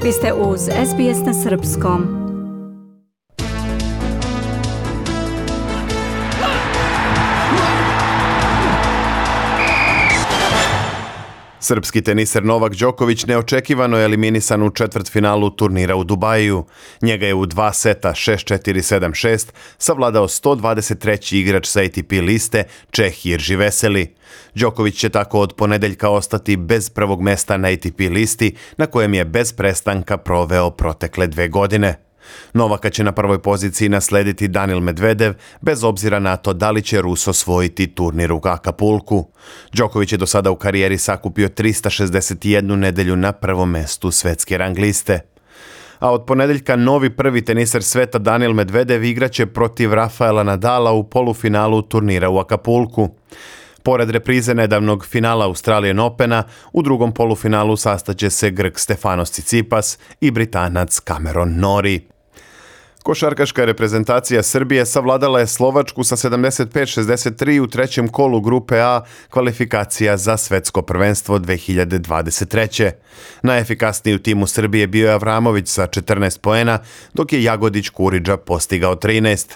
Vi ste uz SBS na Srpskom. Srpski teniser Novak Đoković neočekivano je eliminisan u četvrtfinalu turnira u Dubaju. Njega je u 2 seta 6-4, 7-6 savladao 123. igrač sa ATP liste Čeh Jirži Veseli. Đoković će tako od ponedeljka ostati bez prvog mesta na ATP listi na kojem je bez prestanka proveo protekle 2 godine. Novaka će na prvoj poziciji naslediti Daniil Medvedev, bez obzira na to da li će Rus osvojiti turnir u Akapulku. Đoković je do sada u karijeri sakupio 361 nedelju na prvom mestu svetske rang liste. A od ponedeljka novi prvi teniser sveta Daniil Medvedev igraće protiv Rafaela Nadala u polufinalu turnira u Akapulku. Pored reprize nedavnog finala Australian Opena, u drugom polufinalu sastaće se Grk Stefanos Tsitsipas i Britanac Cameron Norrie. Košarkaška reprezentacija Srbije savladala je Slovačku sa 75-63 u trećem kolu grupe A kvalifikacija za svetsko prvenstvo 2023. Najefikasniji u timu Srbije bio je Avramović sa 14 poena, dok je Jagodić Kuriđa postigao 13.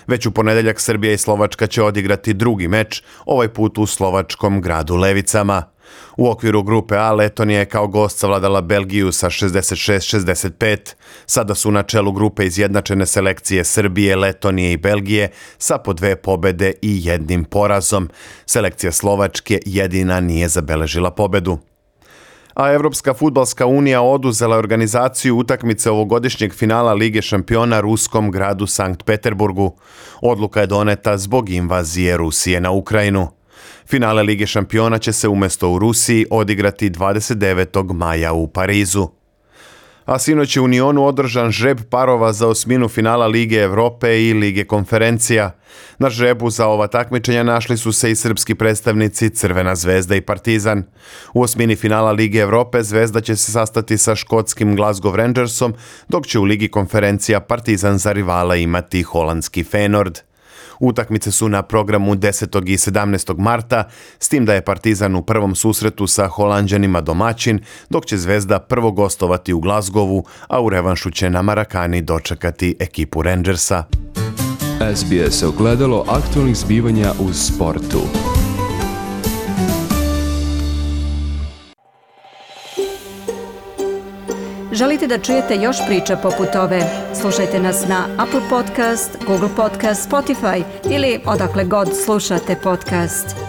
Već u ponedeljak Srbija i Slovačka će odigrati drugi meč, ovaj put u slovačkom gradu Levicama. U okviru grupe A Letonija je kao gost savladala Belgiju sa 66-65. Sada su na čelu grupe izjednačene selekcije Srbije, Letonije i Belgije sa po 2 pobede i 1 porazom. Selekcija Slovačke jedina nije zabeležila pobedu. A Evropska fudbalska unija oduzela je organizaciju utakmice ovogodišnjeg finala Lige šampiona ruskom gradu Sankt Peterburgu. Odluka je doneta zbog invazije Rusije na Ukrajinu. Finale Lige šampiona će se umjesto u Rusiji odigrati 29. maja u Parizu. A sinoć je u Unionu održan žreb parova za osminu finala Lige Evrope i Lige konferencija. Na žrebu za ova takmičenja našli su se i srpski predstavnici Crvena zvezda i Partizan. U osmini finala Lige Evrope Zvezda će se sastati sa škotskim Glasgow Rangersom, dok će u Ligi konferencija Partizan za rivala imati holandski Feyenoord. Utakmice su na programu 10. i 17. marta, s tim da je Partizan u prvom susretu sa Holanđanima domaćin, dok će Zvezda prvo gostovati u Glasgowu, a u revanšu će na Marakani dočekati ekipu Rangersa. SBS ogledalo aktualnih zbivanja u sportu. Želite da čujete još priča poput ove? Slušajte nas na Apple Podcast, Google Podcast, Spotify ili odakle god slušate podcast.